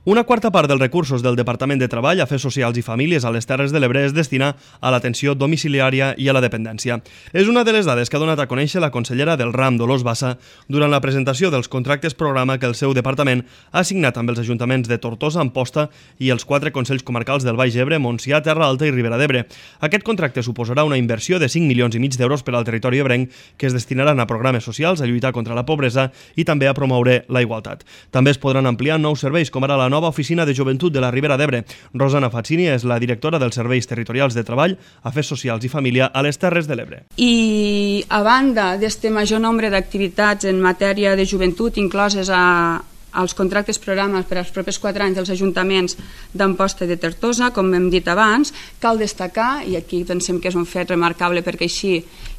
Una quarta part dels recursos del Departament de Treball, Afers Socials i Famílies a les Terres de l'Ebre es destina a l'atenció domiciliària i a la dependència. És una de les dades que ha donat a conèixer la consellera del RAM, Dolors Bassa, durant la presentació dels contractes programa que el seu departament ha signat amb els ajuntaments de Tortosa, Amposta i els 4 consells comarcals del Baix Ebre, Montsià, Terra Alta i Ribera d'Ebre. Aquest contracte suposarà una inversió de 5,5 milions d'euros per al territori ebrenc que es destinaran a programes socials, a lluitar contra la pobresa i també a promoure la igualtat. També es podran ampliar nous serveis, com ara la nova oficina de joventut de la Ribera d'Ebre. Rosana Fazzini és la directora dels Serveis Territorials de Treball, Afers Socials i Família a les Terres de l'Ebre. I a banda d'aquest major nombre d'activitats en matèria de joventut incloses als contractes programes per als propers 4 anys dels ajuntaments d'Amposta i de Tortosa, com hem dit abans, cal destacar, i aquí pensem que és un fet remarcable perquè així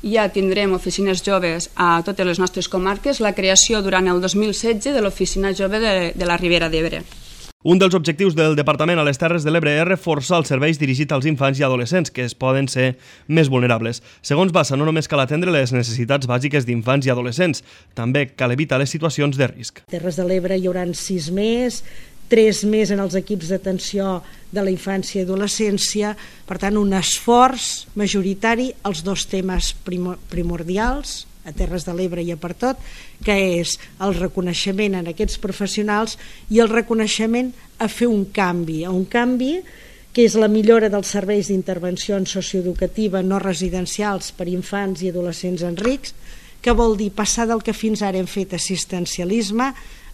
ja tindrem oficines joves a totes les nostres comarques, la creació durant el 2016 de l'Oficina Jove de la Ribera d'Ebre. Un dels objectius del Departament a les Terres de l'Ebre és reforçar els serveis dirigits als infants i adolescents, que es poden ser més vulnerables. Segons Bassa, no només cal atendre les necessitats bàsiques d'infants i adolescents, també cal evitar les situacions de risc. A Terres de l'Ebre hi haurà 6 més, 3 més en els equips d'atenció de la infància i adolescència, per tant un esforç majoritari als 2 temes primordials, a Terres de l'Ebre i a Pertot, que és el reconeixement en aquests professionals i el reconeixement a fer un canvi que és la millora dels serveis d'intervenció socioeducativa no residencials per infants i adolescents en risc, que vol dir passar del que fins ara hem fet assistencialisme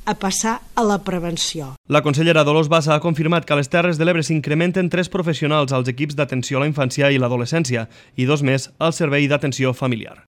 a passar a la prevenció. La consellera Dolors Bassa ha confirmat que a les Terres de l'Ebre s'incrementen 3 professionals als equips d'atenció a la infància i l'adolescència i 2 més al servei d'atenció familiar.